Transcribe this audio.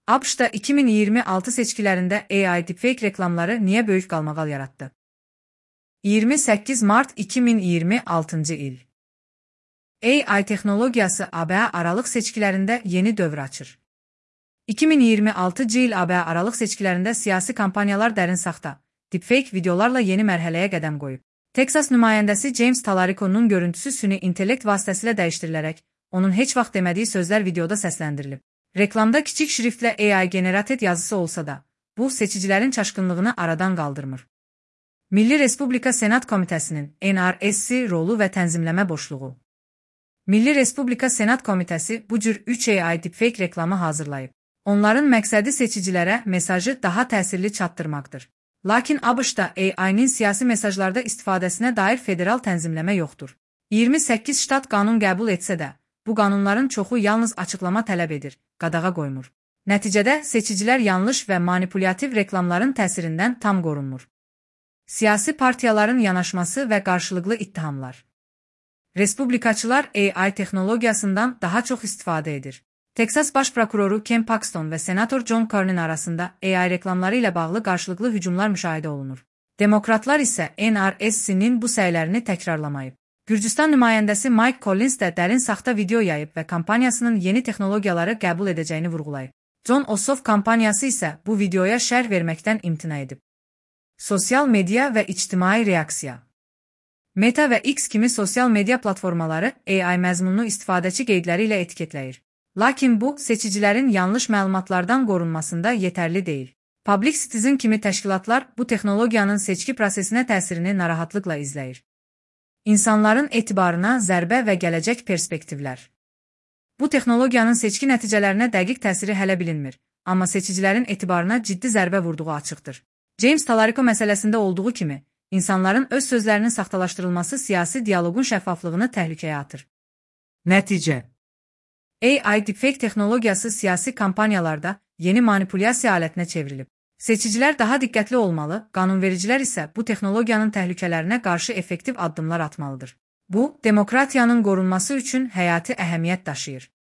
ABŞ-da 2026 seçkilərində AI deepfake reklamları niyə böyük qalmaqal yaratdı? 28 mart 2026 il. AI texnologiyası ABŞ aralıq seçkilərində yeni dövr açır. 2026 il ABŞ aralıq seçkilərində siyasi kampanyalar dərin saxta, deepfake videolarla yeni mərhələyə qədəm qoyub. Texas nümayəndəsi James Talarico'nun görüntüsü süni intellekt vasitəsilə dəyişdirilərək, onun heç vaxt demədiyi sözlər videoda səsləndirilib. Reklamda kiçik şriftlə AI generated yazısı olsa da, bu seçicilərin çaşqınlığını aradan qaldırmır. Milli Respublika Senat Komitəsinin NRSC rolu və tənzimləmə boşluğu. Milli Respublika Senat Komitəsi bu cür 3 AI deepfake reklamı hazırlayıb. Onların məqsədi seçicilərə mesajı daha təsirli çatdırmaqdır. Lakin ABŞ-da AI-nin siyasi mesajlarda istifadəsinə dair federal tənzimləmə yoxdur. 28 ştat qanun qəbul etsə də, bu qanunların çoxu yalnız açıqlama tələb edir, qadağa qoymur. Nəticədə seçicilər yanlış və manipulyativ reklamların təsirindən tam qorunmur. Siyasi partiyaların yanaşması və qarşılıqlı ittihamlar. Respublikaçılar AI texnologiyasından daha çox istifadə edir. Texas Baş Prokuroru Ken Paxton və Senator John Cornyn arasında AI reklamları ilə bağlı qarşılıqlı hücumlar müşahidə olunur. Demokratlar isə NRSC-nin bu səylərini təkrarlamayıb. Gürcüstan nümayəndəsi Mike Collins də dərin saxta video yayıb və kampaniyasının yeni texnologiyaları qəbul edəcəyini vurğulayıb. John Ossoff kampaniyası isə bu videoya şərh verməkdən imtina edib. Sosial media və ictimai reaksiya. Meta və X kimi sosial media platformaları AI məzmununu istifadəçi qeydləri ilə etiketləyir. Lakin bu, seçicilərin yanlış məlumatlardan qorunmasında yetərli deyil. Public Citizen kimi təşkilatlar bu texnologiyanın seçki prosesinə təsirini narahatlıqla izləyir. İnsanların etibarına zərbə və gələcək perspektivlər. Bu texnologiyanın seçki nəticələrinə dəqiq təsiri hələ bilinmir, amma seçicilərin etibarına ciddi zərbə vurduğu açıqdır. James Talarico məsələsində olduğu kimi, insanların öz sözlərinin saxtalaşdırılması siyasi dialoqun şəffaflığını təhlükəyə atır. Nəticə: AI deepfake texnologiyası siyasi kampaniyalarda yeni manipulyasiya alətinə çevrilib. Seçicilər daha diqqətli olmalı, qanunvericilər isə bu texnologiyanın təhlükələrinə qarşı effektiv addımlar atmalıdır. Bu, demokratiyanın qorunması üçün həyati əhəmiyyət daşıyır.